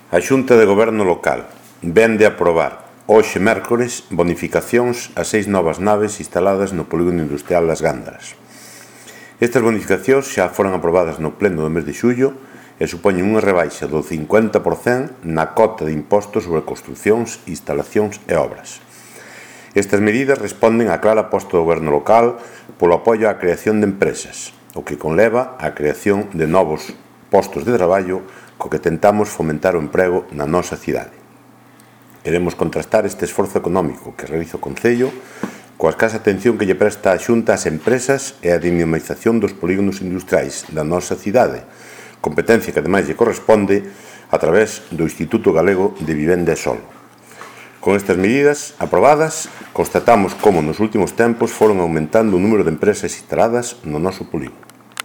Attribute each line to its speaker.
Speaker 1: A Xunta de Goberno Local vén de aprobar hoxe mércores bonificacións a 6 novas naves instaladas no polígono industrial Las Gándaras. Estas bonificacións xa foron aprobadas no pleno do mes de xullo e supoñen unha rebaixa do 50% na cota de impostos sobre construcións, instalacións e obras. Estas medidas responden á clara aposta do Goberno local polo apoio á creación de empresas, o que conleva á creación de novos postos de traballo co que tentamos fomentar o emprego na nosa cidade. Queremos contrastar este esforzo económico que realiza o Concello coa escasa atención que lle presta a Xunta ás empresas e a dinamización dos polígonos industriais da nosa cidade, competencia que ademais lle corresponde a través do Instituto Galego de Vivenda e Solo. Con estas medidas aprobadas, constatamos como nos últimos tempos foron aumentando o número de empresas instaladas no noso polígono.